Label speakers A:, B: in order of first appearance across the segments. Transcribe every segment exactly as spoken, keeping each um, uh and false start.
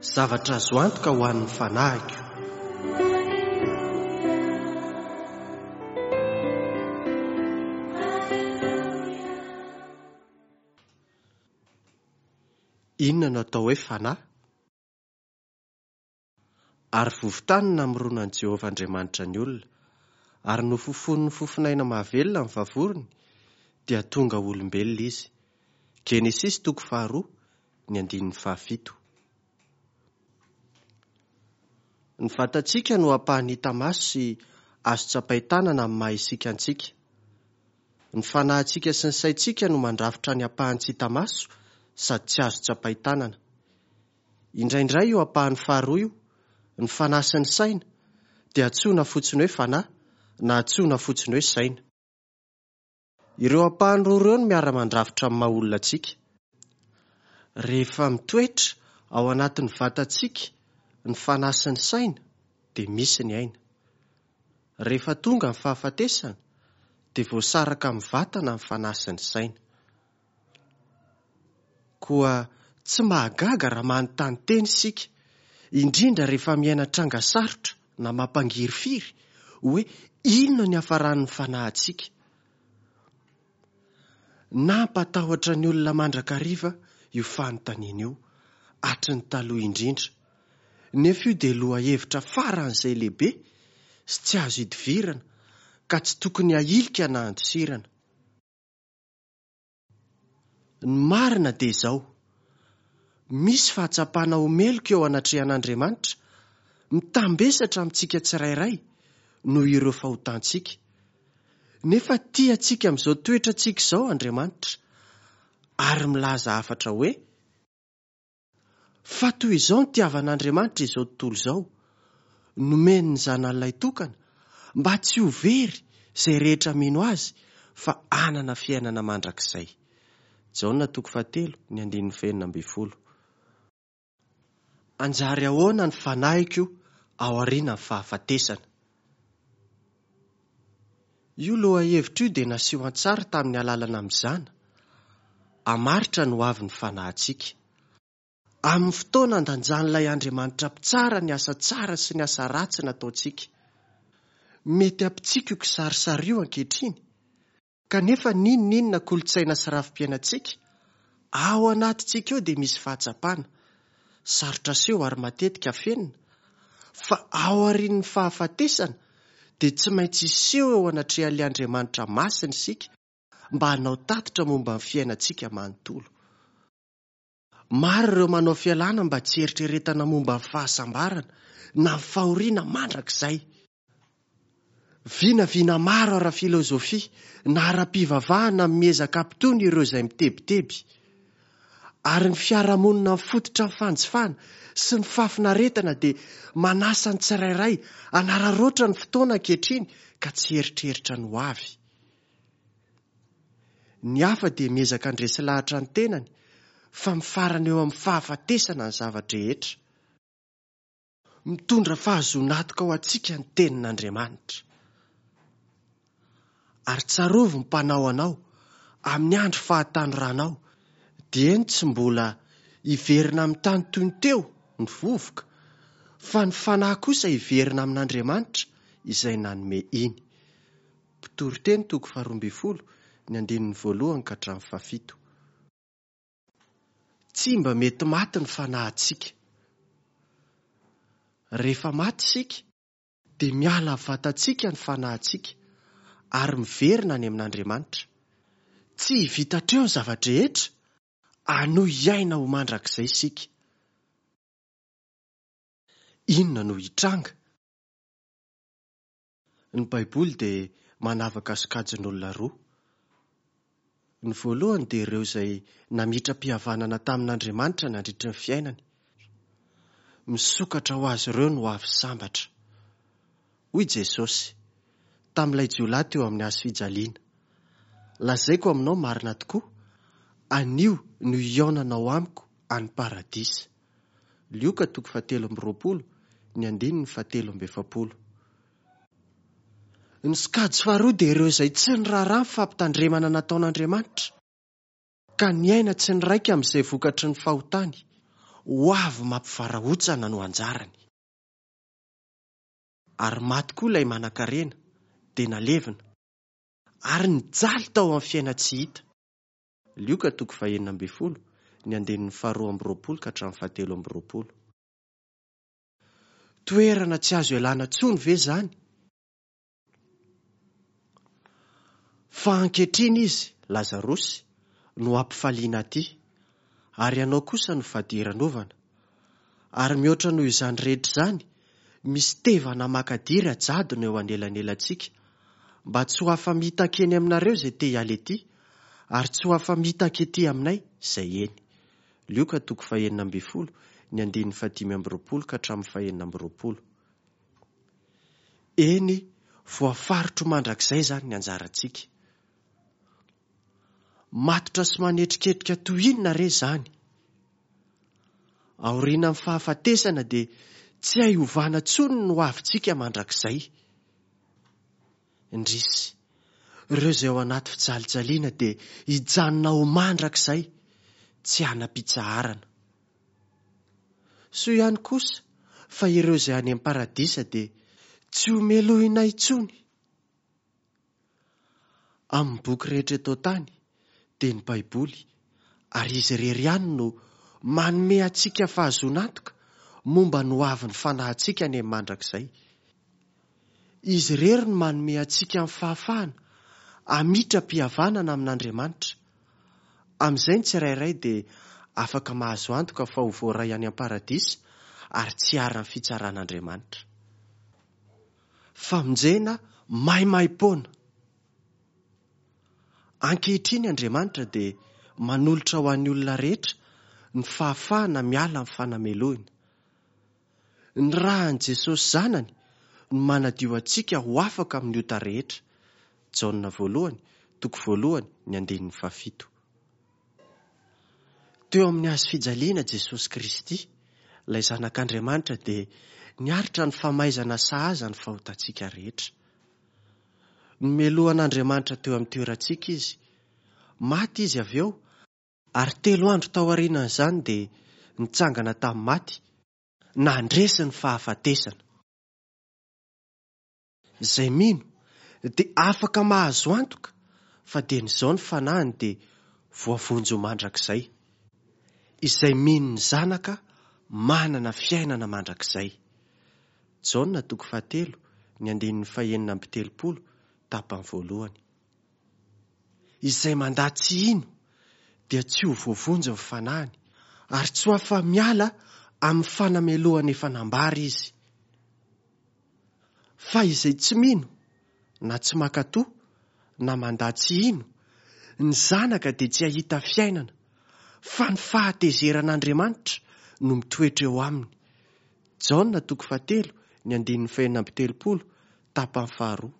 A: Zavatra azo antoka ho an'ny fanahiko. Inona no atao hoe fanahy? Ary vovon-tany no namoronan'i Jehovah Andriamanitra ny olona, ary nofofonin'ny fofonaina mahavelona ny vavorony, dia tonga olombelona izy. Genesisy toko faharoa, ny andininy fahafito. Ny vatantsika no ampahany hita maso sy azo tsapain-tanana amin'ny maha isika antsika. Ny fanahintsika sy ny saintsika no mandrafitra ny ampahany tsy hita maso sady tsy azo tsapain-tanana. Indraindray io ampahany faharoa io, ny fanahy sy ny saina, dia antsoina fotsiny hoe fanahy na antsoina fotsiny hoe saina. Ireo ampahany roa ireo no miara-mandrafitra amin'ny maha olona antsika. Rehefa mitoetra ao anatin'ny vatantsika ny fanahy sy ny saina, dia misy ny aina. Rehefa tonga ny fahafatesana, dia voasaraka amin'ny vatana ny fanahy sy ny saina. Koa tsy mahagaga raha manontany tena isika, indrindra rehefa miaina tranga sarotra na mampangirifiry, hoe inona ny hafaran'ny fanahintsika. Nampatahotra ny olona mandrakariva io fanontaniana io, hatry ny taloha indrindra. Nefa io dia lohahevitra faran'izay lehibe sy tsy azo idivirana, ka tsy tokony hahilika na handosirana. Ny marina dia izao, misy fahatsapana ho meloka eo anatrehan'Andriamanitra, mitambesatra amintsika tsirairay noho ireo fahotantsika. Nefa tia antsika amin'izao toetrantsika izao Andriamanitra, ary milaza hafatra hoe: fa toy izao ny tiavan'Andriamanitra izao tontolo izao, nomeny ny zanany lahitokana, mba tsy ho very izay rehetra mino azy, fa hanana fiainana mandrakizay. Jaona toko fahatelo, ny andininy fahenina ambin'ny folo. Anjary ahoana ny fanahiko aorian'ny fahafatesana? Io lohahevitra io dia naseho an-tsary tamin'ny alalana mizana, hamaritra ny hoavin'ny fanahintsika. Amin'ny fotoana andanjan'ilay Andriamanitra mpitsara ny asa tsara sy ny asa ratsy nataontsika. Mety hampitsika io kisarisary io ankehitriny, kanefa n'inon'inona kolontsaina sy rafi-piainantsika, ao anatintsika eo dia misy fahatsapana, sarotra aseho ary matetika afenina, fa aorian'ny fahafatesana dia tsy maintsy hiseho eo anatrehan'ilay Andriamanitra masina isika mba hanao tatitra momba ny fiainantsika manontolo. Maro ireo manao fialana mba tsy eritreretana momba ny fahasambarana na ny fahoriana mandrakizay. Vinavina maro ara-filozofia na ara-pivavahana miezaka hampitony ireo izay mitebiteby. Ary ny fiarahamonina mifototra amin'ny fanjifana sy ny fahafinaretana dia manasa ny tsirairay hanararaotra ny fotoana ankehitriny ka tsy eritreritra ny ho avy. Ny hafa dia miezaka handresy lahatra ny tenany fa mifarana eo amin'ny fahafatesana ny zava-drehetra. Mitondra fahazoan'antoka ho antsika ny tenin'Andriamanitra. Ary tsarovy ny mpanao anao amin'ny andro fahatanoranao, dieny tsy mbola hiverina amin'ny tany toy ny teo ny vovoka, fa ny fanahy kosa hiverina amin'Andriamanitra izay nanome iny. Mpitoriteny toko faharoa ambin'ny folo, ny andininy voalohany ka hatramin'ny fahafito. Tsy mba mety maty ny fanahintsika. Rehefa maty isika, dia miala amin'ny vatantsika ny fanahintsika ary miverina any amin'Andriamanitra. Tsy vita hatreo ny zava-drehetra, hanohy hiaina ho mandrakizay isika. Inona no hitranga? Ny Baiboly dia manavaka sokajin'olona roa. Ny voalohany dia ireo izay namitra-pihavanana tamin'Andriamanitra nandritra ny fiainany. Misokatra ho azy ireo ny ho avy sambatra. Hoy Jesosy tamin'ilay jiolahy teo amin'ny hazo fijaliana: lazaiko aminao marina tokoa, anio no hihaonanao amiko any paradisa. Lioka toko fahatelo amby roapolo, ny andininy fahatelo amby efapolo. Ny sokajy faharoa dia ireo izay tsy niraharaha ny fampitandremana nataon'Andriamanitra, ka niaina tsy niraika amin'izay vokatry ny fahotany. ho avy mampivarahontsana no anjarany. Ary maty koa ilay manankarena, dia nalevina, ary nijaly tao amin'ny fiaina-tsy hita. Lioka toko fahenina ambin'ny folo, ny andininy faharoa amby roapolo ka hatramin'ny fahatelo amby roapolo. Toerana tsy azo ialana intsony ve izany? Fa ankehitriny izy, Lazarosy, no ampifaliana aty, ary ianao kosa no fadiranovana. Ary mihoatra noho izany rehetra izany, misy tevana makadiry ajadona eo anelanelantsika, mba tsy ho afa-mitaky eny aminareo izay te hiala ety, ary tsy ho afa-mitaky ety aminay izay eny. Lioka toko fahenina ambin'ny folo, ny andininy fahadimy amby roapolo ka hatramin'ny fahenina amby roapolo. Eny, voafaritro mandrakizay izany ny anjarantsika. Matotra sy manetriketrika toy inona re izany? Aorian'ny fahafatesana dia tsy hay ovana intsony ny ho avintsika mandrakizay. Indrisy, ireo izay ao anaty fijalijaliana dia hijanona ho mandrakizay, tsy hanam-pitsaharana. Soa ihany kosa fa ireo izay any amin'ny paradisa dia tsy ho melohina intsony. Amin'ny boky rehetra eto an-tany dia ny Baiboly, ary izy irery ihany no manome antsika fahazoana antoka momba ny ho avin'ny fanahintsika any amin'ny mandrakizay. Izy irery no manome antsika ny fahafahana hamitram-pihavanana amin'Andriamanitra. Amin'izay ny tsirairay dia afaka mahazo antoka fa ho voaray any am-paradisa ary tsy haran'ny fitsaran'Andriamanitra. Famonjena maimaimpoana. Ankehitriny Andriamanitra dia manolotra ho an'ny olona rehetra ny fahafahana miala amin'ny fanamelohina. Ny ràn'i Jesosy Zanany no manadio antsika ho afaka amin'ny ota rehetra. Jaona voalohany, toko voalohany, ny andininy fahafito. Teo amin'ny hazo fijaliana Jesosy Kristy, ilay Zanak'Andriamanitra, dia niaritra ny famaizana sahaza ny fahotantsika rehetra. Nomelohan'Andriamanitra teo amin'ny toerantsika izy. Maty izy avy eo, ary telo andro tao aorianan'izany dia nitsangana tamin'ny maty, nandresy ny fahafatesana. Izay mino dia afaka mahazo antoka fa dia n'izao ny fanahiny dia voavonjy ho mandrakizay. Izay mino ny Zanaka manana fiainana mandrakizay. Jaona toko fahatelo, ny andininy fahenina amby telopolo, tapany voalohany. Izay mandà tsy hino dia tsy ho voavonjy ny fanahiny, ary tsy ho afa-miala amin'ny fanamelohana efa nambara izy. Fa izay tsy mino, na tsy mankatò, na mandà tsy hino, ny Zanaka dia tsy hahita fiainana, fa ny fahatezeran'Andriamanitra no mitoetra eo aminy. Jaona toko fahatelo, ny andininy fahenina amby telopolo, tapany faharoa.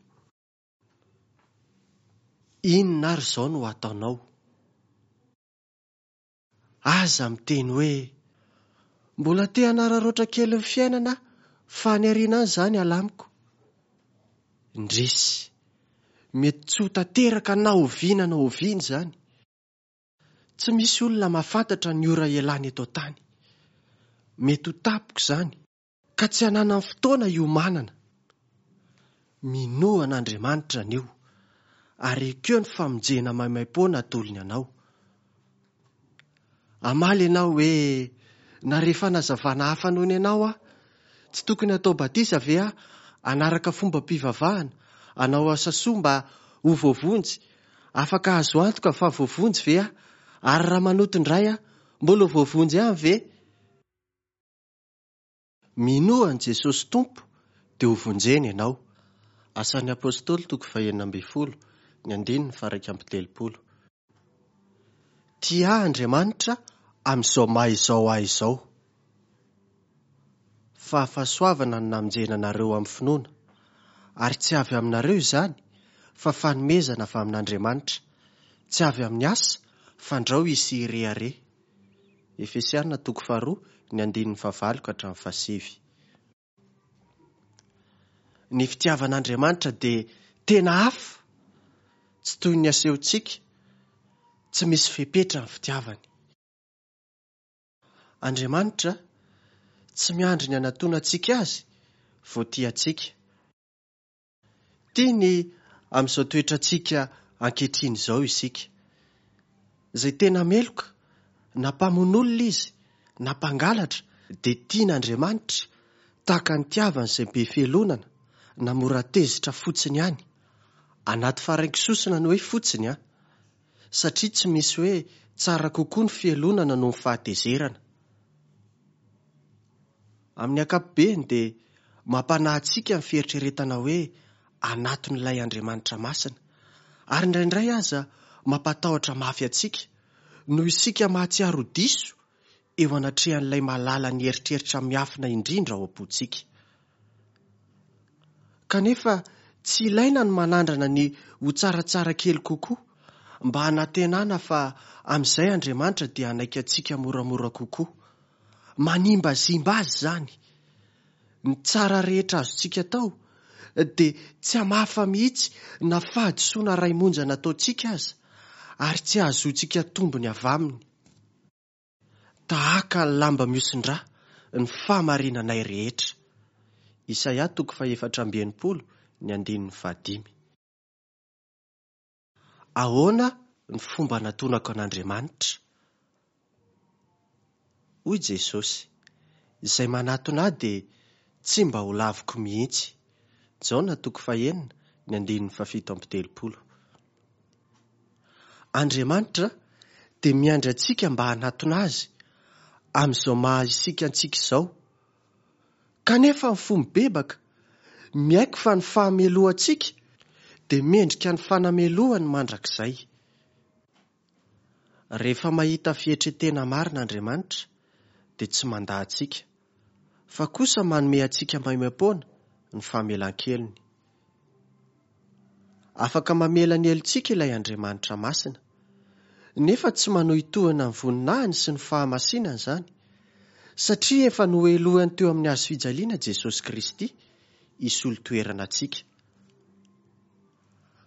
A: Inona ary izao no ataonao? Aza miteny hoe, mbola te hanararaotra kely ny fiainana fa any aoriana any izany alamiko. Indrisy, mety tsy ho tanteraka na oviana na oviana izany. Tsy misy olona mahafantatra ny ora ialana eto an-tany. Mety ho tampoka izany, ka tsy hananany fotoana hiomanana. Minoa an'Andriamanitra anio, ary ekeo ny famonjena maimaimpoana atolony anao. Hamaly ianao hoe, na rehefa fanazavana hafa noho ny anao aho, tsy tokony hatao batisa ve aho hanaraka fombam-pivavahana, hanao asa soa mba ho voavonjy, afaka hahazo antoka fa voavonjy ve aho, ary raha manoto indray aho, mbola ho voavonjy ihany ve? Minoa an'i Jesosy Tompo dia ho vonjena ianao. Asan'ny Apôstôly toko fahenina ambin'ny folo, ny andininy faha-iraika amby telopolo. Tia ahy Andriamanitra amin'izao maha izao ahy izao. Fa fahasoavana no namonjena anareo amin'ny finoana, ary tsy avy aminareo izany, fa fanomezana avy amin'Andriamanitra, tsy avy amin'ny asa, fandrao hisy hirehareha. Efesiana toko faharoa, ny andininy fahavalo ka hatramin'ny fahasivy. Ny fitiavan'Andriamanitra dia tena hafa, tsy toy ny asehontsika, tsy misy fepetra ny fitiavany. Andriamanitra tsy miandry ny hanatonantsika azy vao tia antsika. Tiany amin'izao toetrantsika ankehitriny izao isika. Izay tena meloka, na mpamono olona izy, na mpangalatra, dia tian'Andriamanitra tahaka ny nitiavany izay be fialonana na mora tezitra fotsiny ihany. Anaty faraingo sosona ny hoe fotsiny, a satria tsy misy hoe tsara kokoa ny fialonana noho ny fahatezerana. Amin'ny ankapobeny dia mampanahy antsika ny fieritreretana hoe anatin'ilay Andriamanitra masina, ary indraindray aza mampatahotra mafy antsika noho isika mahatsiaro ho diso eo anatrehan'ilay mahalala ny eritreritra miafina indrindra ao am-pontsika. Kanefa tsy ilaina ny manandrana ny ho tsaratsara kely kokoa mba hanantenana fa amin'izay Andriamanitra dia hanaiky antsika moramora kokoa. Manimbazimba azy izany. Ny tsara rehetra azontsika atao dia tsy hamafa mihitsy na fahadisoana iray monja nataontsika aza, ary tsy hahazoantsika tombony avy aminy. Tahaka ny lamba mihosin-drà ny fahamarinanay rehetra. Isaia toko fahefatra amby enimpolo ny andininy fahadimy. Ahoana ny fomba anatonako an'Andriamanitra? Hoy Jesosy, izay manatona ahy dia tsy mba ho laviko mihitsy. Jaona toko fahenina ny andininy fahafito amby telopolo. Andriamanitra dia miandry antsika mba hanatona azy amin'izao maha isika antsika izao. Kanefa ny fo mibebaka, miaiky fa ny fahamelohantsika dia mendrika ny fanamelohany mandrakizay. Rehefa mahita fietren-tena marina Andriamanitra dia tsy mandà antsika, fa kosa manome antsika maimaim-poana ny famelan-kelony. Afaka mamela ny helotsika ilay Andriamanitra masina, nefa tsy manohitohina ny voninahiny sy ny fahamasinany izany, satria efa nohelohany teo amin'ny hazo fijaliana Jesosy Kristy hisolo toerana antsika.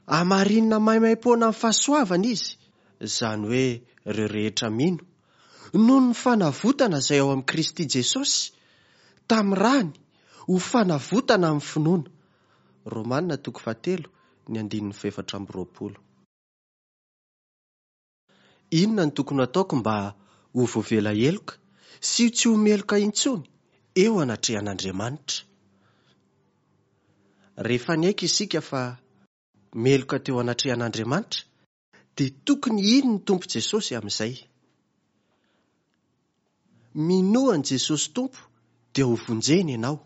A: Hamarinina maimaim-poana amin'ny fahasoavana izy, izany hoe ireo rehetra mino, noho ny fanavotana izay ao amin'i Kristy Jesosy, tamin'ny rany ho fanavotana amin'ny finoana. Romana toko fahatelo ny andininy fahefatra amby roapolo. Inona no tokony hataoko mba ho voavela heloka sy tsy ho meloka intsony eo anatrehan'Andriamanitra? Rehefa niaiky isika fa meloka teo anatrehan'Andriamanitra, dia tokony hino ny Tompo Jesosy amin'izay. Minoa an'i Jesosy Tompo dia ho vonjena ianao.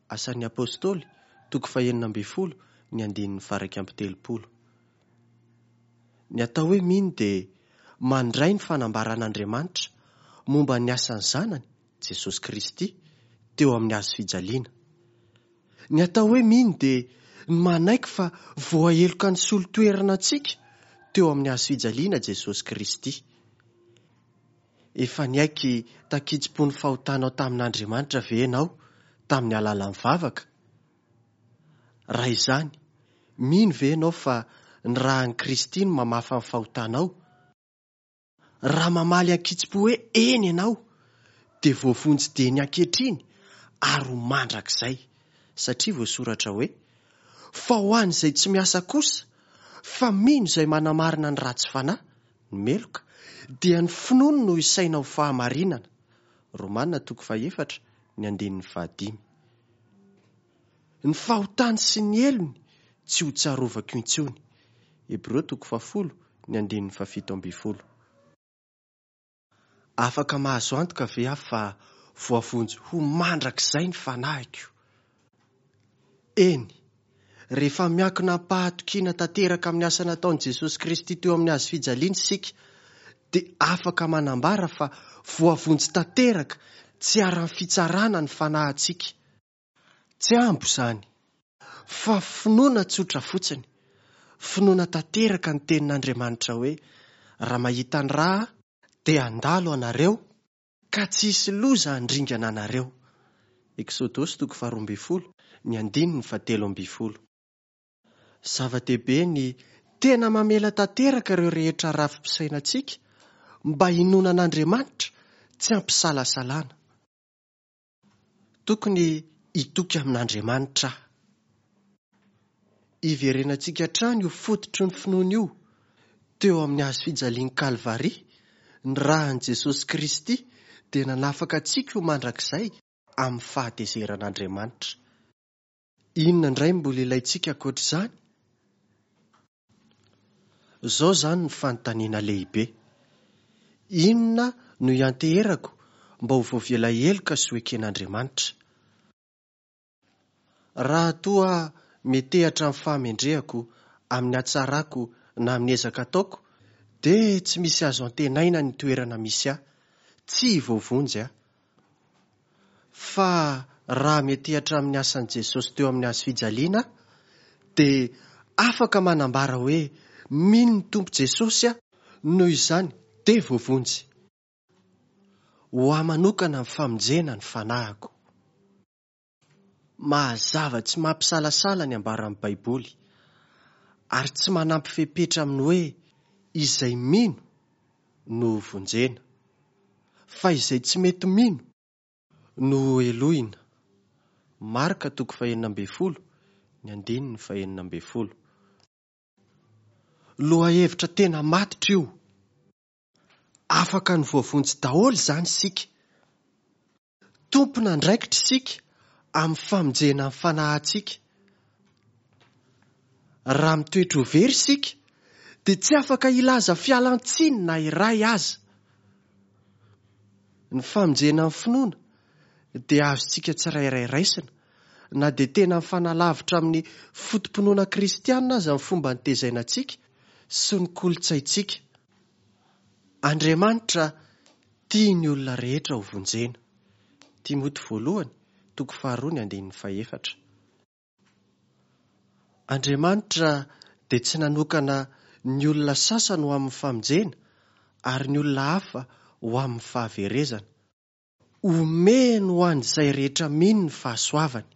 A: Asan'ny Apôstôly, toko fahenina ambin'ny folo, ny andininy faha-iraika amby telopolo. Ny atao hoe mino dia mandray ny fanambaran'Andriamanitra momba ny asan'ny Zanany, Jesosy Kristy, teo amin'ny hazo fijaliana. Ny atao hoe mino dia ny manaiky fa voaheloka nisolo toerana antsika teo amin'ny hazo fijaliana Jesosy Kristy. Efa niaiky tankitsim-po ny fahotanao tamin'Andriamanitra ve ianao tamin'ny alalan'ny vavaka? Raha izany, mino ve ianao fa ny ràn'i Kristy no mamafa ny fahotanao? Raha mamaly ankitsim-po hoe eny ianao, dia voavonjy dieny ankehitriny ary ho mandrakizay, satria voasoratra hoe, fa ho an'izay tsy miasa kosa, fa mino izay manamarina ny ratsy fanahy, ny meloka, dia ny finoany no isaina ho fahamarinana. Romana toko fahefatra ny andininy fahadimy. Ny fahotany sy ny helony tsy ho tsarovako intsony. Hebreo toko fahafolo ny andininy fahafito ambin'ny folo. Afaka mahazo antoka ve aho fa voavonjy ho mandrakizay ny fanahiko? Eny, rehefa miankina am-pahatokiana tanteraka amin'ny asa nataon'i Jesosy Kristy teo amin'ny hazo fijaliana isika, dia afaka manambara fa voavonjy tanteraka tsy haran'ny fitsarana ny fanahintsika. Tsy ambo izany, fa finoana tsotra fotsiny. Finoana tanteraka ny tenin'Andriamanitra hoe, raha mahita ny rà dia handalo anareo ka tsy hisy loza handringana anareo. Eksodosy toko faharoa ambin'ny folo, ny andininy fahatelo ambin'ny folo. Zava-dehibe ny tena mamela tanteraka ireo rehetra rafi-pisainantsika mba hinoana an'Andriamanitra tsy ampisalasalana. Tokony hitoky amin'Andriamanitra aho. Iverenantsika hatrany io fototry ny finoana io teo amin'ny hazo fijalian'i Kalvary, ny ràn'i Jesosy Kristy dia nanafaka antsika ho mandrakizay amin'ny fahatezeran'Andriamanitra. Inona indray no mbola ilaintsika ankoatr'izany? Izao izany ny fanontaniana lehibe. Inona no ianteherako mba ho voavela heloka sy ho eken'Andriamanitra? Raha toa metehatra amin'ny fahamendrehako, amin'ny hatsarako na amin'ny ezaka ataoko, dia tsy misy azo antenaina ny toerana misy ahy. Tsy voavonjy aho. Fa raha metehatra amin'ny asan'i Jesosy teo amin'ny hazo fijaliana aho, dia afaka manambara hoe mino ny Tompo Jesosy aho, noho izany dia voavonjy. Ho ahy manokana ny famonjena ny fanahiko. Mahazava tsy mampisalasala ny ambaran'ny Baiboly, ary tsy manampy fepetra amin'ny hoe izay mino no vonjena, fa izay tsy mety mino no helohina. Marka toko fahenina ambin'ny folo, ny andininy fahenina ambin'ny folo. Lohahevitra tena matotra io. Afaka ny voavonjy daholo izany isika. Tompon'andraikitra isika amin'ny famonjena ny fanahintsika. Raha mitoetra ho very isika, dia tsy afaka hilaza fialan-tsiny na iray aza. Ny famonjena ny finoana dia azontsika tsirairay raisina, na dia tena mifanalavitra amin'ny foto-pinoana kristianina aza ny fomba nitezaina antsika sy ny kolontsaintsika. Andriamanitra tia ny olona rehetra ho vonjena. Timoty voalohany, toko faharoa ny andininy fahefatra. Andriamanitra dia tsy nanokana ny olona sasany ho amin'ny famonjena ary ny olona hafa ho amin'ny fahaverezana. Omeny ho an'izay rehetra mino ny fahasoavany.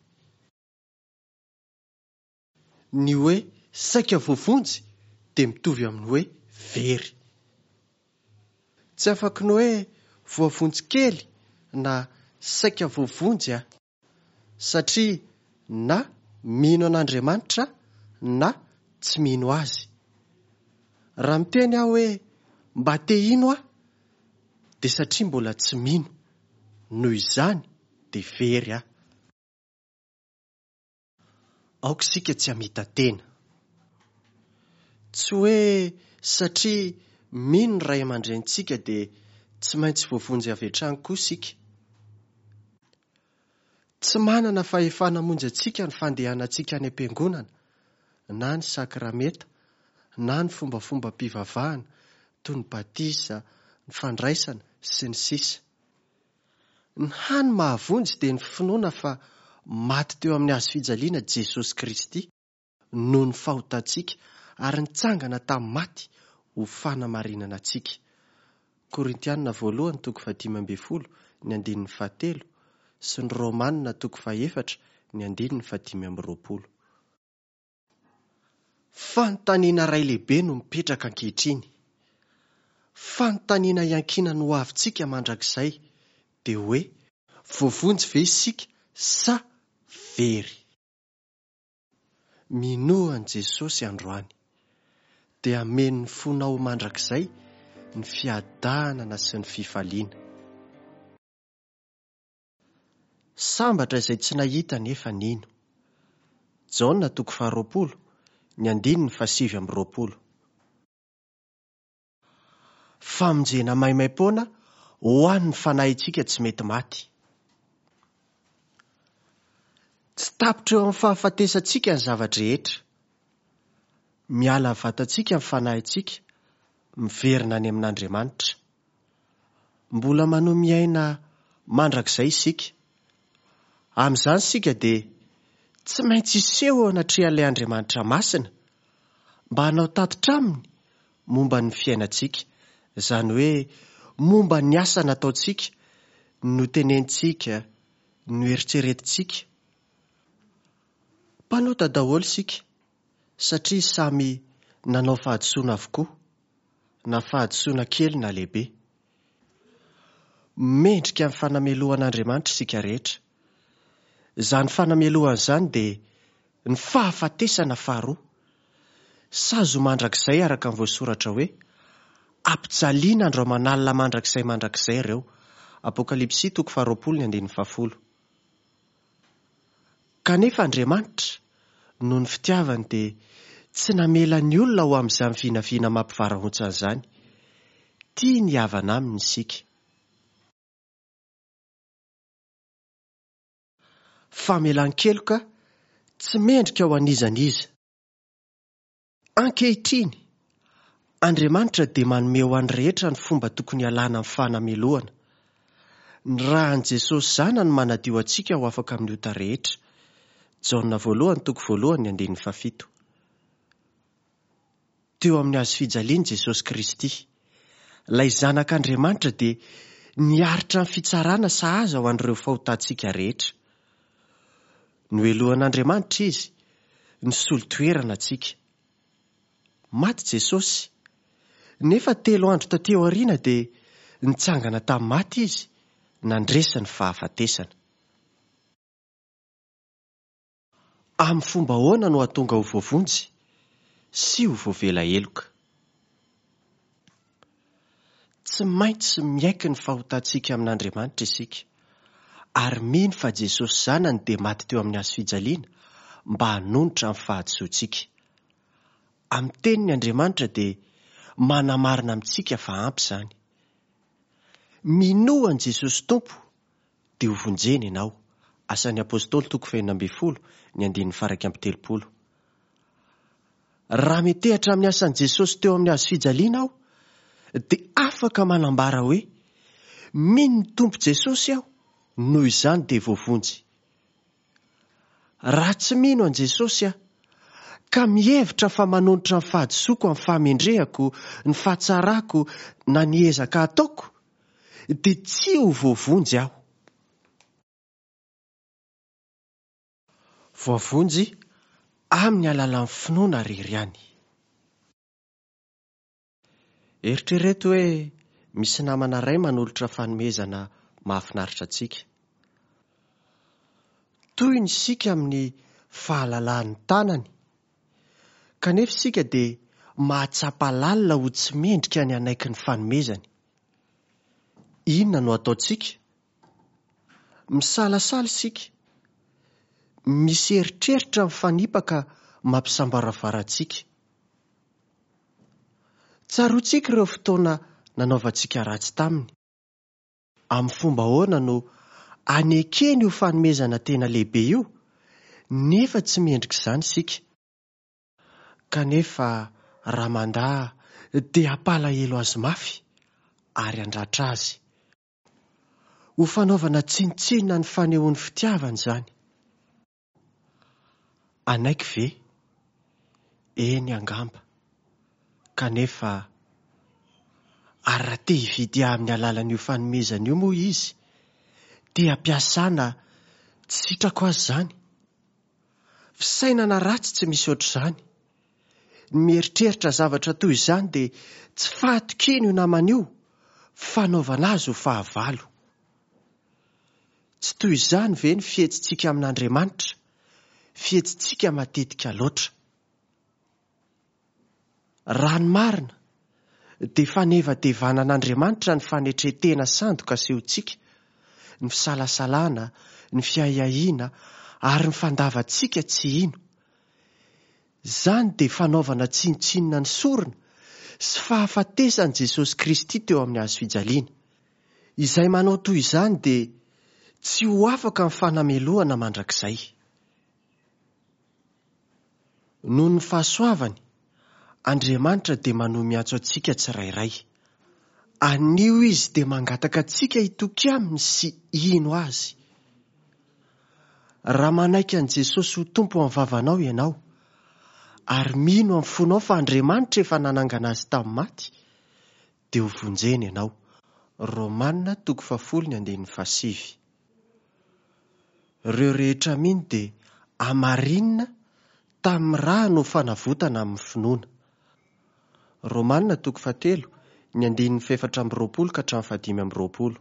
A: Ny hoe saika voavonjy dia mitovy amin'ny hoe very. Tsy afaky ny hoe voavonjy kely na saika voavonjy aho, satria na mino an'Andriamanitra na tsy mino azy. Raha miteny aho hoe mba te hino aho, dia satria mbola tsy mino, noho izany dia very aho. Aoka isika tsy hamita-tena. Tsy hoe satria mino ny ray aman-drenintsika dia tsy maintsy voavonjy avy hatrany koa isika. Tsy manana fahefana hamonjy antsika ny fandehanantsika any am-piangonana, na ny sakramenta, na ny fombafombam-pivavahana toy ny batisa, ny fandraisana sy ny sisa. Ny hany mahavonjy dia ny finoana fa maty teo amin'ny hazo fijaliana Jesosy Kristy noho ny fahotantsika ary nitsangana tamin'ny maty ho fanamarinana antsika. Korintianina voalohany toko fahadimy ambin'ny folo ny andininy fahatelo sy ny Romanina toko fahefatra ny andininy fahadimy amby roapolo. Fanontaniana iray lehibe no mipetraka ankehitriny. Fanontaniana iankinan'ny ho avintsika mandrakizay dia hoe voavonjy ve isika sa very? Minoa an'i Jesosy androany, dia hameno ny fonao mandrakizay ny fiadanana sy ny fifaliana. Sambatra izay tsy nahita nefa nino. Jaona toko faharoapolo, ny andininy fahasivy amby roapolo. Famonjena maimaimpoana ho an'ny fanahintsika tsy mety maty. Tsy tapitra eo amin'ny fahafatesantsika ny zava-drehetra. Miala ny vatantsika ny fanahintsika, miverina any amin'Andriamanitra. Mbola manohy miaina mandrakizay isika. Amin'izany isika dia tsy maintsy hiseho eo anatrehan'ilay Andriamanitra masina mba hanao tatitra aminy momba ny fiainantsika, izany hoe momba ny asa nataontsika, notenentsika, noeritreretintsika. Mpanota daholo isika satria samy nanao fahadisoana avokoa, na fahadisoana kely na lehibe. Mendrika ny fanamelohan'Andriamanitra isika rehetra. Izany fanamelohana izany dia ny fahafatesana faharoa. Sazy ho mandrakizay araka ny voasoratra hoe ampijaliana andro aman'alina mandrakizay mandrakizay ireo. Apokalypsy toko faharoapolo ny andininy fahafolo. Kanefa Andriamanitra, noho ny fitiavany, dia tsy namela ny olona ho amin'izany vinavina mampivarahontsana izany. Tia ny havana aminy isika. Famelan-keloka tsy mendrika ho an'iza n'iza. Ankehitriny, Andriamanitra dia manome ho an'ny rehetra ny fomba tokony hialana amin'ny fanamelohana. Ny ràn'i Jesosy Zanany manadio antsika ho afaka amin'ny ota rehetra. Jaona voalohany toko voalohany ny andininy fahafito. Teo amin'ny hazo fijaliana Jesosy Kristy, ilay Zanak'Andriamanitra dia niaritra ny fitsarana sahaza ho an'ireo fahotantsika rehetra. Nohelohan'Andriamanitra izy, nisolo toerana antsika. Maty Jesosy, nefa telo andro taty aoriana dia nitsangana tamin'ny maty izy, nandresy ny fahafatesana. Amin'ny fomba ahoana no hahatonga ho voavonjy sy ho voavela heloka? Tsy maintsy miaiky ny fahotantsika amin'Andriamanitra isika, ary mino fa Jesosy Zanany dia maty teo amin'ny hazo fijaliana mba hanonitra ny fahadisoantsika. Amin'ny teniny Andriamanitra dia manamarina amintsika fa ampy izany. Minoa an'i Jesosy Tompo dia ho vonjena ianao. Asan'ny Apôstôly toko fahenina ambin'ny folo ny andininy faha-iraika amby telopolo. Raha metehatra amin'ny asan'i Jesosy teo amin'ny hazo fijaliana aho, dia afaka manambara hoe mino ny Tompo Jesosy aho, noho izany dia voavonjy. Raha tsy mino an'i Jesosy aho, ka mihevitra fa manonitra ny fahadisoako amin'ny fahamendrehako, ny fahatsarako na ny ezaka ataoko, dia tsy ho voavonjy aho. Voavonjy amin'ny alalan'ny finoana irery ihany. Eritrereto hoe misy namana iray manolotra fanomezana mahafinaritra antsika. Toy ny isika amin'ny fahalalan'ny tanany, kanefa isika dia mahatsapa lalina ho tsy mendrika ny hanaiky ny fanomezany. Inona no ataontsika? Misalasala isika. Misy eritreritra mifanipaka mampisambaravara antsika. Tsaroantsika ireo fotoana nanaovantsika ratsy taminy. Amin'ny fomba ahoana no anekeny io fanomezana tena lehibe io, nefa tsy mendrika izany isika. Kanefa raha mandà dia hampalahelo azy mafy ary handratra azy. Ho fanaovana tsinontsinona ny fanehoan'ny fitiavana izany. Hanaiky ve? Eny angamba. Kanefa ary raha te hividy ahy amin'ny alalan'io fanomezana io moa izy, te hampiasana tsy sitrako azy izany. Fisainana ratsy tsy misy ohatr'izany. Ny mieritreritra zavatra toy izany dia tsy fahatokiana io namana io, fanaovana azy ho fahavalo. Tsy toy izany ve ny fihetsitsika amin'Andriamanitra, fihetsitsika matetika loatra. Raha ny marina, dia fanevadevanan'Andriamanitra ny fanetren-tena sandoka asehontsika, ny fisalasalana, ny fiahiahiana ary ny fandavantsika tsy hino. Izany dia fanaovana tsinontsinona ny sorona sy fahafatesan'i Jesosy Kristy teo amin'ny hazo fijaliana. Izay manao toy izany dia tsy ho afaka amin'ny fanamelohana mandrakizay. Noho ny fahasoavany, Andriamanitra dia manohy miantso antsika tsirairay. Anio izy dia mangataka antsika hitoky aminy sy hino azy. Raha manaiky an'i Jesosy ho Tompo amin'ny vavanao ianao, ary mino amin'ny fonao fa Andriamanitra efa nanangana azy tamin'ny maty, dia ho vonjena ianao. Romana toko fahafolo ny andininy fahasivy. Ireo rehetra mino dia hamarinina tamin'ny rà no fanavotana amin'ny finoana. Romana toko fahatelo ny andininy fahefatra amby roapolo ka hatramin'ny fahadimy amby roapolo.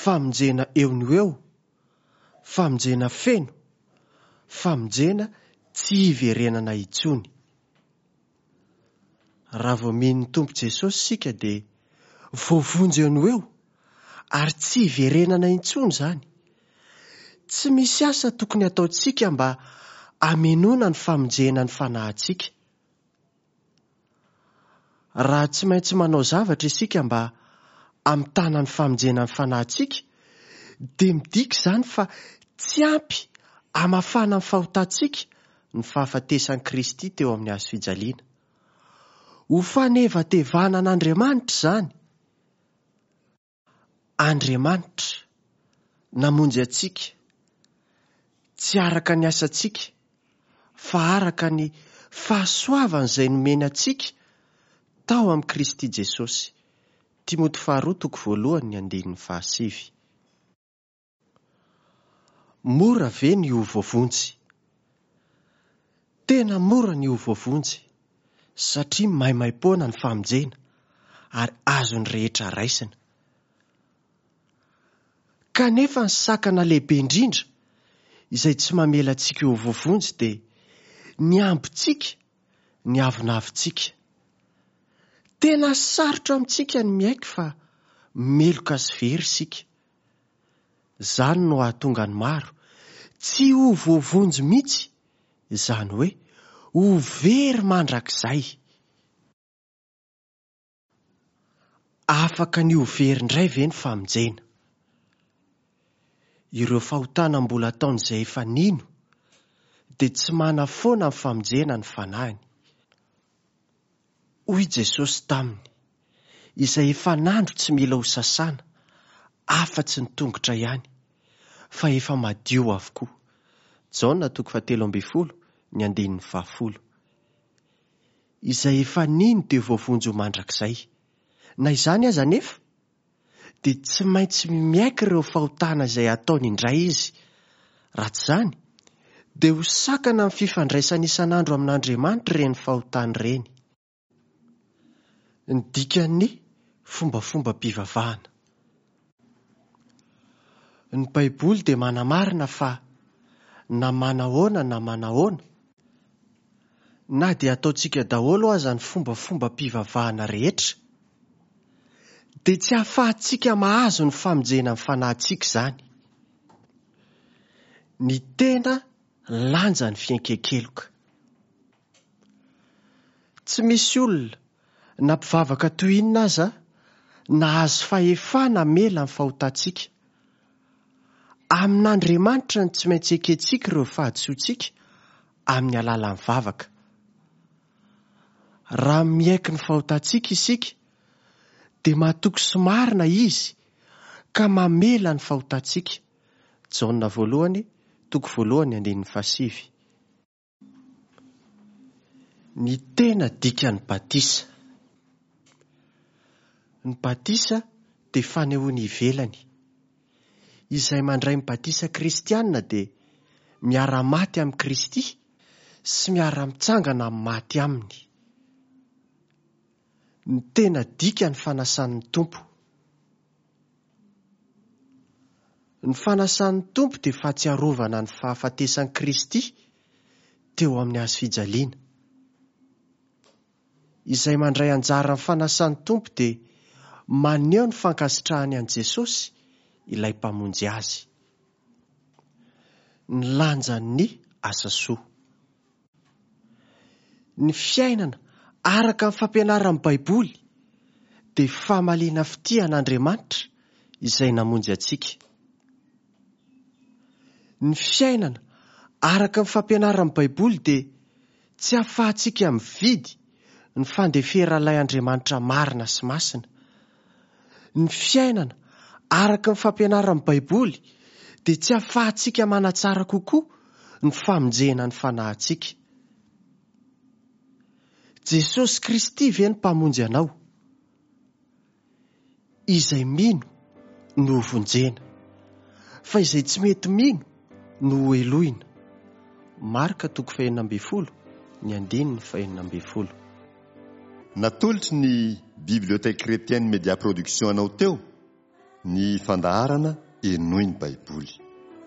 A: Famonjena eo no eo, famonjena feno, famonjena tsy hiverenana intsony. Raha vao mino ny Tompo Jesosy isika dia voavonjy eo no eo ary tsy hiverenana intsony izany. Tsy misy asa tokony hataontsika mba hamenoana ny famonjena ny fanahintsika. Raha tsy maintsy manao zavatra isika mba hamitana ny famonjena ny fanahintsika, dia midika izany fa tsy ampy hamafana ny fahotantsika ny fahafatesan'i Kristy teo amin'ny hazo fijaliana. Ho fanevatevana an'Andriamanitra izany. Andriamanitra namonjy antsika, tsy araka ny asantsika, fa araka ny fahasoavana izay nomeny antsika tao amin'i Kristy Jesosy. Timoty faharoa toko voalohany ny andininy fahasivy. Mora ve ny ho voavonjy? Tena mora ny ho voavonjy, satria maimaimpoana ny famonjena ary azon'ny rehetra raisina. Kanefa ny sakana lehibe indrindra izay tsy mamela antsika ho voavonjy dia ny ambintsika, ny avonavintsika. Tena sarotra amintsika ny miaiky fa meloka sy very isika. Izany no hahatonga ny maro tsy ho voavonjy mihitsy, izany hoe ho very mandrakizay. Afaka ny ho very indray ve ny famonjena? Ireo fahotana mbola ataon'izay efa nino dia tsy manafoana ny famonjena ny fanahiny. Hoy Jesosy taminy, izay efa nandro tsy mila ho sasana, afa-tsy ny tongotra ihany, fa efa madio avokoa. Jaona toko fahatelo ambin'ny folo, ny andininy fahafolo. Izay efa nino dia voavonjy ho mandrakizay. Na izany aza anefa, dia tsy maintsy miaiky ireo fahotana izay ataony indray izy. Raha tsy izany, dia ho sakana amin'ny fifandraisana isan'andro amin'Andriamanitra ireny fahotana ireny. Ny dikan'ny fombafombam-pivavahana. Ny Baiboly dia manamarina fa na manahoana na manahoana, na dia ataontsika daholo aza ny fombafombam-pivavahana rehetra, dia tsy ahafahantsika mahazo ny famonjena ny fanahintsika izany. Ny tena lanja ny fiaiken-keloka. Tsy misy olona na mpivavaka toy inona aza nahazo fahefana hamela ny fahotantsika. Amin'Andriamanitra no tsy maintsy ekentsika ireo fahadisoantsika amin'ny alalan'ny vavaka. Raha miaiky ny fahotantsika isika, dia matoky sy marina izy ka mamela ny fahotantsika. Jaona voalohany, toko voalohany andininy fahasivy. Ny tena dikan'ny batisa. Ny batisa dia fanehoana ivelany. Izay mandray ny batisa kristianina dia miara-maty amin'i Kristy sy miara-mitsangana amin'ny maty aminy. Ny tena dikan'ny fanasan'ny Tompo. Ny fanasan'ny Tompo dia fahatsiarovana ny fahafatesan'i Kristy teo amin'ny hazo fijaliana. Izay mandray anjara amin'ny fanasan'ny Tompo dia maneho ny fankasitrahany an'i Jesosy, ilay mpamonjy azy. Ny lanjan'ny asa soa. Ny fiainana araka ny fampianaran'ny Baiboly dia famaliana fitia an'Andriamanitra izay namonjy antsika. Ny fiainana araka ny fampianaran'ny Baiboly dia tsy ahafahantsika mividy ny fandeferan'ilay Andriamanitra marina sy masina. Ny fiainana araka ny fampianaran'ny Baiboly dia tsy ahafahantsika manatsara kokoa ny famonjena ny fanahintsika. Jesosy Kristy ve ny mpamonjy anao? Izay mino no vonjena, fa izay tsy mety mino no hohelohina. Marka toko fahenina ambin'ny folo, ny andininy fahenina ambin'ny folo.
B: Natolotry ny Bibliothèque Chrétienne Média Production anao teo ny fandaharana Henoy ny Baiboly.